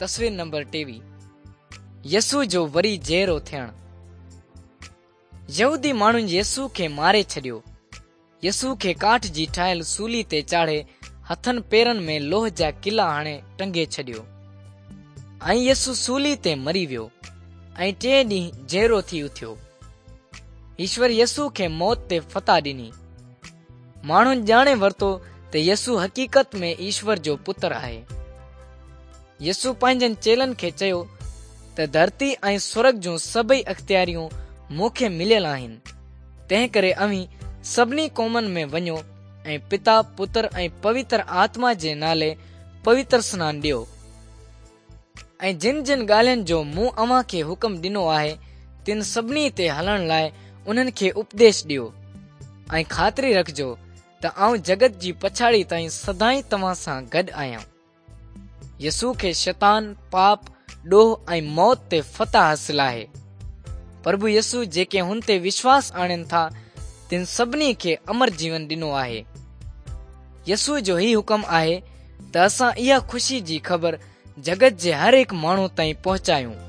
تصوير نمبر 23 يسوع جو وري جيئرو ٿيڻ. يهودي ماڻهن يسوع کي ماري ڇڏيو. يسوع کي ڪاٺ جي ٺاهيل سولي تي چاڙهي هٿن پيرن ۾ لوهه جا ڪلا هڻي ٽنگي ڇڏيو. ۽ يسوع سولي تي مري ويو ۽ ٽئين ڏينهن جيئرو ٿي اٿيو. ايشور يسوع کي موت تي فتح ڏني. ماڻهن ڄاڻي ورتو ته يسوع حقيقت ۾ ايشور جو پتر آهي. يسوع پنهنجن چيلن کي چيو ته ڌرتي ۽ سرڳ جون سڀئي اختياريون مون کي مليل آهن، تنهنڪري اوهين سڀني قومن ۾ وڃو ۽ پتا، پتر ۽ پوتر آتما جي نالي پوتر سنان ڏيو. ۽ جن جن ڳالهين جو مون اوهان کي حڪم ڏنو آهي، تن سڀني تي هلڻ لاء انهن کي اپديش ڏيو، ۽ خاطري رکجو ته آئون جڳت جي پڇاڙي تائين سدائين توهان سان گڏ آهيان. يسوع کي شيطان، پاپ، ڏوهه ۽ موت تي فتح حاصل آهي. پرڀو يسوع جيڪي هن تي وشواس آڻين ٿا، تن سڀني کي امر جيون ڏنو آهي. يسوع جو هي حڪم آهي ته اسان اها خوشي جي خبر جڳت جي هر هڪ ماڻهو تائين پهچايون.